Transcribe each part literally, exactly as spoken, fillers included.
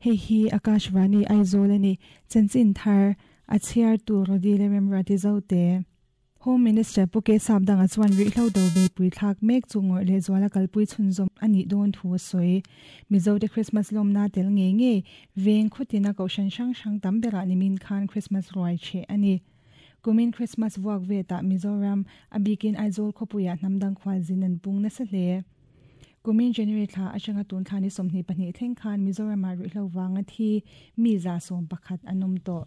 Hei hi Akashvani Aizawl ani chanchin thar a chhiar tur Rodi le Remrati Zote. Home Minister Pu K Sapdanga chuan rihlo do be pui thlak mek chu ngawih leh zuala kalpui chhunzawm ani dawn thu a sawi. Mizo te Christmas lawm na tel nge nge veng khutina kohhran hrang hrang tam berah nimin khan Christmas ruai che ani. Kumin Christmas vuak ve ta Mizoram a bikin Aizawl khawpuiah hnamdang khual zin an pung nasa hle. Kumin January thla atanga tun thla ni sawmhnih pahnih thleng khan Mizoramah rihlo wanga thi mi za sawm pakhat an awm tawh.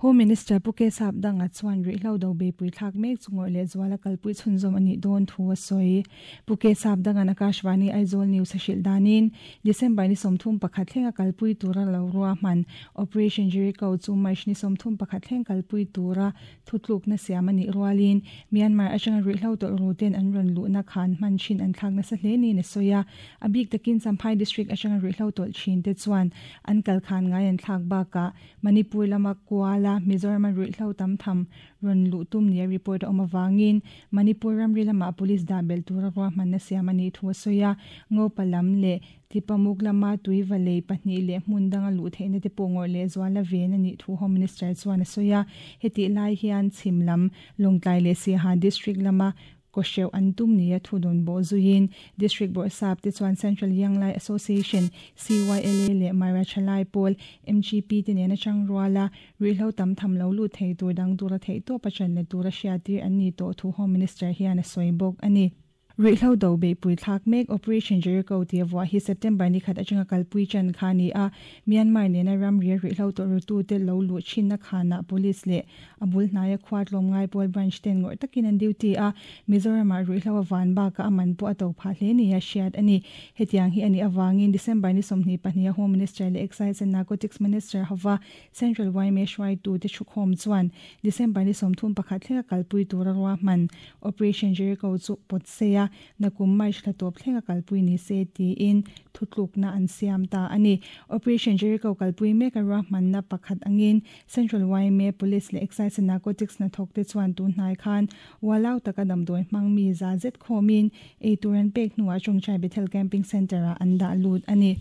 Home Minister Pu K Sapdanga chuan rihlo do be pui thlak mek chu ngawih leh zuala kalpui chhunzawm ani dawn thu a sawi. Pu K Sapdanga Akashvani Aizawl News a hrilh danin December ni sawmthum pakhat thlenga kalpui tura lo rua hman Operation Jericho chu March ni sawmthum pakhat thleng kalpui tura thutluk na siam ani rualin Myanmar atanga rihlo tawlh ru ten an rawn luhna khan hman thin an thlak nasa hle ni na sawia. A bik takin Champhai district atanga rihlo tawlh thin te chuan an kal khan ngai an thlak baka Manipur lama Kuala Mizoram rihlo tam tham rawn luh tum nia report a awm awangin Manipur ramri lama police dah belh tura rua hman na siam ani thu a sawi a. Ngopa lam leh Tipamuk lama tui valei pahnih leh hmun danga luh theihna te pawh ngawih leh zuala ven ani thu Home Minister chuan a sawi a. Heti lai hian chhim lam Lawngtlai leh Siaha district lama ko hreuh an tum nia thu dawn bawh zuiin District Bawrhsap te chuan Central Young Lai Association C Y L A leh Mara Thalai Pawl M G P te nena chang ruala rihlo tam tham lo lu thei tur dang tura thei tawp a chan le tura hriatir an ni tawh thu Home Minister hian a sawi bawk ani. Rihlo do be pui thlak mek Operation Jericho ti awah hi September ni khat atanga kalpui chan kha ni a. Myanmar nena ramri rihlo tawlh ru tu te lo luh thin na khana police leh a bul hnaia khuat lawm ngai pawl branch ten ngawih takin an duty a. Mizoramah rihlo a van baka a man pawh a to phah hle ni a hriat ani. Hetiang hi ani awangin December ni sawmhnih pahnih a Home Minister leh Excise and Narcotics Minister hawa Central Y M A hruaitu te thukhawm chuan December ni sawmthum pakhat thlenga kalpui tura rua hman Operation Jericho chu pawt seia nakum March thla tawp thlenga kalpui ni se tiin thutluk na an siam ta ani. Operation Jericho kalpui mek a rua hman na pakhat angin Central Y M A Police leh Excise and Narcotics na thawk te chuan tun hnai khan walau taka damdawi hmang mi za zet khawmin eitur an pek hnuah Chawngchai Bethel Camping Centre ah an dah lut ani.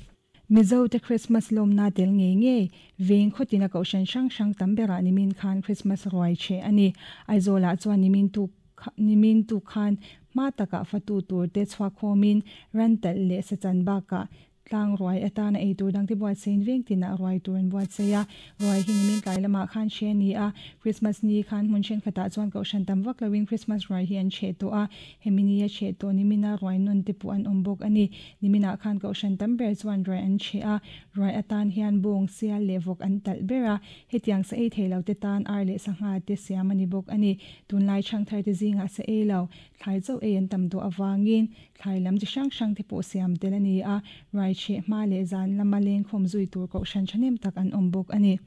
Mizo te Christmas lawm na tel nge nge veng khutina kohhran hrang hrang tam berah nimin khan Christmas ruai che ani. Aizawlah chuan nimin tu nimin tu khan ma taka fatu tur te chhuak khawmin ran talh leh sachan bakah tlang ruai atana eitur dang te buat sein veng tina ruai tur an buat seia. Ruai hi nimin tlai lamah khan hre ni a. Christmas ni khan hmun then khatah chuan kohhran tam vak loin Christmas ruai hi an chhe tawh a. Hemi ni a chhe tawh nimina ruai nawn te pawh an awm bawk ani. Niminah khan kohhran tam ber chuan ruai an chhe a. Ruai atan hian bawng sial leh vawk an talh ber a. Hetiang sa ei thei lo te tan ar leh sangha te siam ani bawk ani. Tunlai chhang thar te zingah sa ei lo thlai chauh ei an tam tawh awangin thlai lam chi hrang hrang te pawh siam tel ani a. Ruai chhe hma leh zan lama leng khawm zui tur kohhran thahnem tak an awm bawk ani.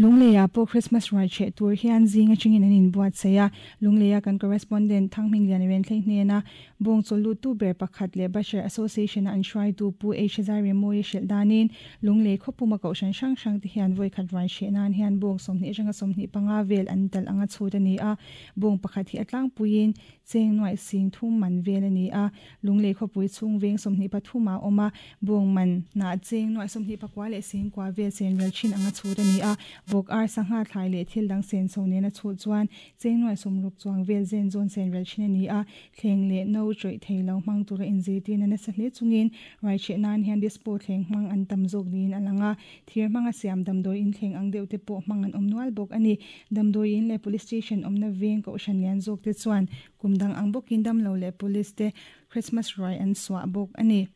Lungleia pawh Christmas ruai chhe tur hian zinga chingin an inbuat seia. Lungleia kan correspondent Thangming Lian ren thleng hnena bawng chawl lut tu ber pakhat leh Bashar Association an hruai tu Pu H Zai Remawia hrilh danin Lunglei khawpuma kohhran hrang hrang te hian vawi khat ruai chhe nan hian bawng sawmhnih atanga sawmhnih panga vel an talh anga chhut ani a. Bawng pakhat hi a tlangpuiin cheng nuaih sing thum man vel ani a. Lunglei khawpui chhung veng sawmhnih pathum a awm a. Bawng man na cheng nuaih sawmhnih pakua leh sing kua vel chen rel thin anga chhut ani a. Vawk ar sangha thlai leh thil dang sen so nena chhut chuan cheng nuaih sawmruk chuang vel zen zawn sen rel thin ani a. Thleng leh no chawih thei lo hmang tura inzirtir na nasa hle chungin ruai chhe nan hian dispo thleng hmang an tam zawk niin a lang a. Thir hmanga siam damdawi in thleng ang deuh te pawh hmang an awm nual bawk ani. Damdawi in leh police station awmna veng kohhran lian zawk te chuan kum dang ang bawkin damlo leh police te Christmas ruai an suah bawk ani.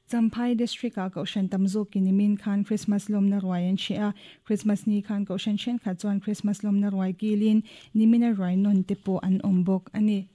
Champhai district a kohhran tam zawkin nimin khan Christmas lawmna ruai an chhe a. Christmas ni khan kohhran then khat chuan Christmas lawmna ruai kilin nimina ruai nawn te pawh an awm bawk ani.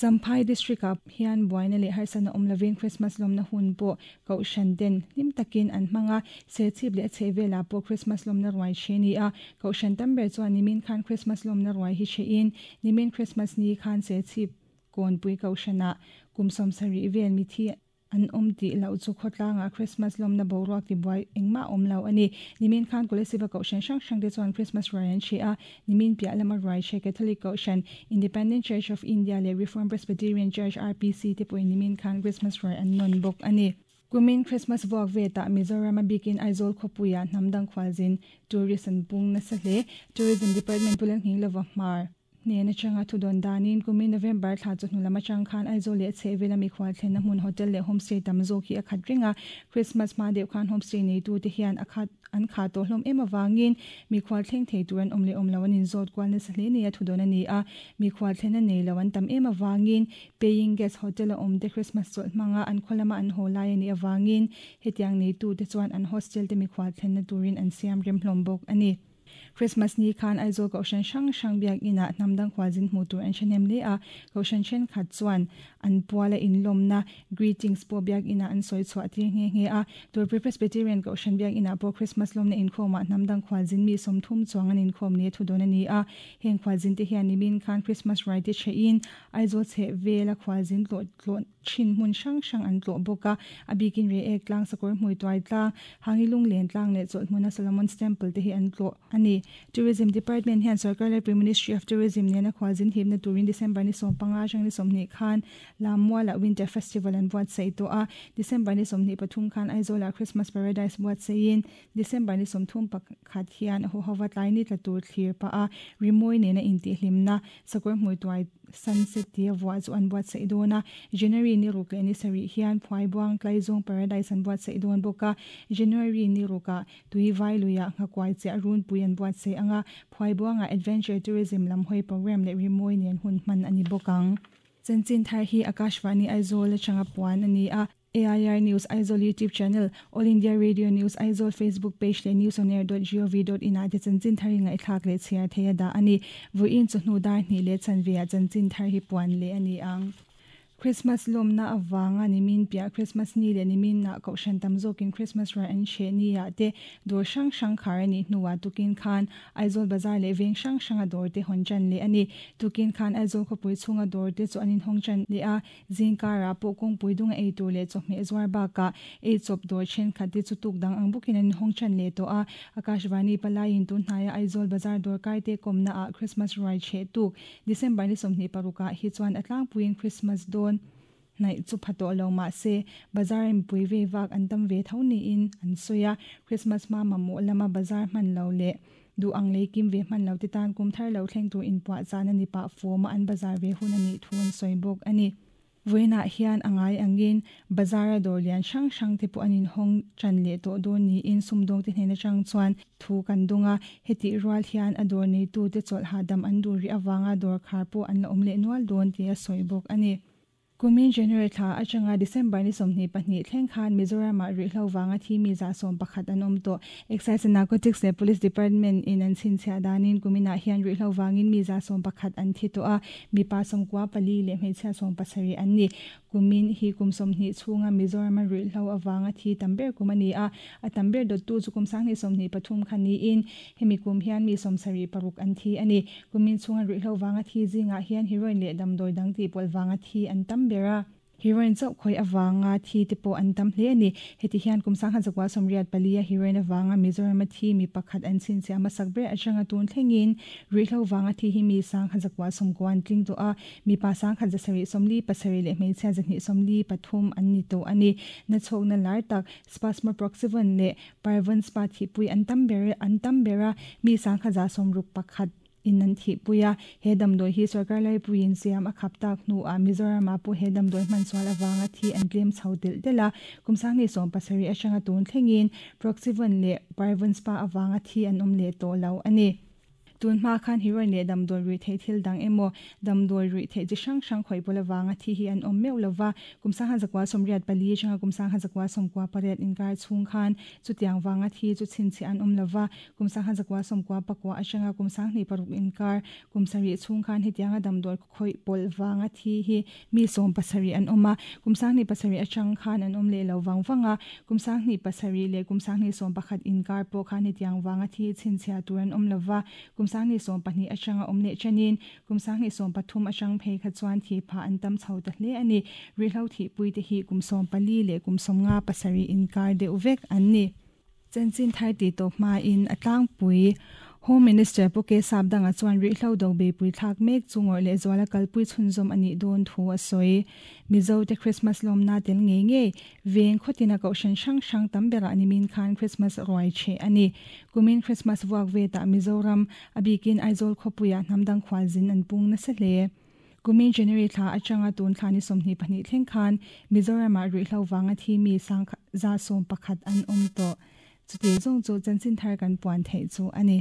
Champhai District ah hian buaina leh harsatna awm lovin Christmas lawmna hun pawh kohhran ten hlim takin an hmang a, serchhip leh a chhehvelah pawh Christmas lawmna ruai che ni a, kohhran tam ber chuan nimin khan Christmas lawmna ruai hi che in nimin Christmas ni khan serchhip kawnpui kohhranah kum sawm sarih vel mithi an awm tih loh chu khawtlangah Christmas lawmna boruak ti buai engmah awm lo a ni. Nimin khan Kolasib-a kohhran hrang hrang te chuan Christmas ruai an che a, nimin piah lama ruai che Catholic kohhran, Independent Church of India leh Reformed Presbyterian Church, R P C, te pawhin nimin khan Christmas ruai an nawn bawk a ni. Kumin Christmas vuak vetah Mizoram a bikin Aizawl khawpuiah hnam dang khualzin tourist an pung nasa hle. Tourism Department Pu Lalnghing Lova Hmar hnen atanga thu dawn danin kumin November thla chu hnu lam atang khan Aizawl leh chhehvel a mikhual thlenna hmun hotel leh homestay tam zawk hi a khat reng a, Christmas hma deuh khan homestay neitu te hian a khat an kha tawh hlawm em awangin mikhual thleng thei tur an awm leh awm lo an inzawt kual nasa hle nei a thu dawn a ni a, mikhual thlenna nei lo an tam em awangin paying guest hotel a awm te Christmas chawlh hmanga an khaw lama an haw lai a nih awangin hetiang neitu te chuan an hostel te mikhual thlenna turin an siam rem hlawm bawk a ni. Christmas ni khan Aizawl kohhran hrang hrang biak inah hnam dang khualzin hmuh tur an hrenem hle a, kohhran thenkhat chuan an puala inlawmna greetings pawh biak inah an sawi chhuah tir nghe nghe a, Turpui Presbyterian kohhran biak inah pawh Christmas lawmna inkhawmah hnam dang khualzin mi sawmthum chuang an inkhawm ni a thu dawn a ni a, heng khualzin te hian nimin khan Christmas ruai te che in Aizawl chhehvel a khualzin tlawh tlawh thin hmun hrang hrang an tlawh bawk a, a bikin re ek tlang sakawr hmui tuai tlang Hangilung len tlang leh chawlh hmuna Solomon's Temple te hi an tlawh a ni. Tourism Department hian sarkar laipui Ministry of Tourism nena khualzin hipna turin December ni sawm panga atang ni sawmhnih khan Lammualah Winter Festival an buatsaih tawh a, December ni sawmhnih pathum khan Aizawlah Christmas Paradise buatsaihin December ni sawmthum pakhat hian a huhova tlai ni tla tur thlir pah a, rimawi nena intihhlimna sakawr hmui tuai sunset tia vuah chu an buatsaih dawn a, January ni ruk leh ni sarih hian Phuaibuang Tlaizawng Paradise an buatsaih dawn bawk a, January ni rukah tui vai luiah nghakuai chiah runpui an buatsaih anga, Phuaibuangah Adventure Tourism lam hawi program leh rimawi nen hun hman a ni bawk ang. Chanchin thar hi Akashvani Aizawl atanga puan a ni a, A I R News Aizawl YouTube channel, All India Radio News Aizawl Facebook page leh news on air dot gov dot in ah te chanchin thar hi ngaihthlak leh chhiar thei a dah a ni. Vawiin chu hnu dar hnih leh chanveah chanchin thar hi puan leh a ni ang. Christmas lawmna awanga nimin piah Christmas ni leh nimin ah kohhran tam zawkin Christmas ruai an hreh ni ah te dawr hrang hrang khar a nih hnuah tukin khan Aizawl Bazar leh veng hrang hrang a dawr te hawn chan leh a ni. Tukin khan Aizawl khawpui chhunga dawr te chu an inhawng chan leh a, zingkarah pawh kawngpui dunga ei tur leh chawhmeh zuar bakah ei chawp dawr thenkhat te chu tuk dang ang bawkin an inhawng chan leh tawh a, Akashvani palaiin tun hnaia Aizawl Bazar dawr kai te kawmna ah Christmas ruai cheh tuk December ni sawmhnih parukah hi chuan a tlangpuiin Christmas dawn hnaih chu pha tawh lo mah se bazar in pui ve vak an tam ve tho niin an sawi a, Christmas hma mamawh lama bazar hman lo leh duh ang lei kim ve hman lo te tan kum thar lo thleng tur inpuah chan a ni pah fawma an bazar ve hun a nih thu an sawi bawk a ni. Vawiinah hian a ngai angin bazar a dawr lian hrang hrang te pawh an inhawng chan leh tawh dawn niin sumdawng te hnen atang chuan thu kan dawng a, hetih rual hian a dawr neitu te chawlh hahdam an duh rih awanga dawr khar pawh an la awm leh nual dawn tih a sawi bawk a ni. Kumin January thla atanga December ni sawmhnih pahnih thleng khan Mizoramah rihhlo wanga thi mi za sawm pakhat an awm tawh. Excise and Narcotics leh Police Department in an chhinchhiah danin kuminah hian rihhlo wangin mi za sawm pakhat an thi tawh a, mipa sawmkua pali leh hmeichhia sawm pasarih an ni. Kumin hi kum sawmhnih chhunga Mizorama rihhlo awanga thi tam ber kum a ni a, a tam ber dawttu chu kum sanghnih sawmhnih pathum kha niin hemi kum hian mi sawm sarih paruk an thi a ni. Kumin chhunga rihhlo wanga thi zingah hian heroin leh damdawi dang tih pawlh wanga thi an tam bera heroin chauh khawih awanga thi te pawh an tam hle a ni. Heti hian kum sangha zakwa sawmriat pali a heroin awanga Mizorama thi mi pakhat an chhinchhiah hmasak ber atanga tun thlengin rihhlo wanga thi hi mi sangha zakwa sawmkua an tling tawh a, mipa sangkhat zasarih sawmli pasarih leh hmeichhia zahnih sawmli pathum an ni tawh a ni. Na chhawkna lar tak Spasmo Proxivon leh Parvon Spa thihpui an tam ber an tam bera mi sangha za sawmruk pakhat in an thihpui a, he damdawi hi sarkar laipuiin siam a khap tak hnu ah Mizorama pawh he damdawi hman sual awanga thi an tlem chho telh telh a, kum sanghnih sawm pasarih atanga tun thlengin Proxivon leh Parvon Spa awanga thi an awm leh tawh lo a ni. Tun hma khan heroin leh damdawi ruih theih thil dang emaw damdawi ruih theih chi hrang hrang khawih pawlh avanga thi hi an awm meuh lova. Kum sangha zakua sawmriat pali atanga kum sangha zakua sawmkua pariat inkar chhung khan chutiang vanga thi chu chhinchhiah an awm lova. Kum sangha zakua sawmkua pakua atanga kum sanghnih paruk inkar kum sarih chhung khan hetianga damdawi khawih pawlh vanga thi hi mi sawm pasarih an awm a. Kum sanghnih pasarih atang khan an awm leh lo vang vang a. Kum sanghnih pasarih leh kum sanghnih sawm pakhat inkar pawh khan hetiang vanga thi chhinchhiah tur an awm lova. Kum sanghnih sawm pahnih atanga awm leh chanin kum sanghnih sawm pathum atang phei kha chuan thi pha an tam chho ta hle ani. Ruihhlo thihpui te hi kum sawm pali leh kum sawm nga pasarih inkar deuh vek an ni. Chanchin thar ti tawp hmain a tlangpui Home Minister Pu K Sapdanga chuan ruihhlo do beipui thlak mek chu ngawrh leh zuala kalpui chhunzawm a nih dawn thu a sawi. Mizo te Christmas lawmna tel ngei ngei veng khawtina kohhran hrang hrang tam berah nimin khan Christmas ruai cheh a ni. Kumin Christmas vuak vetah Mizoram a bikin Aizawl khawpuiah hnamdang khualzin an pung nasa hle. Kumin January thla atanga tun thla ni sawmhnih pahnih thleng khan Mizoramah ruihhlo vanga thi mi sang za sawm pakhat an awm tawh. Chuti zawng chu chanchin thar kan puan theih chu a ni.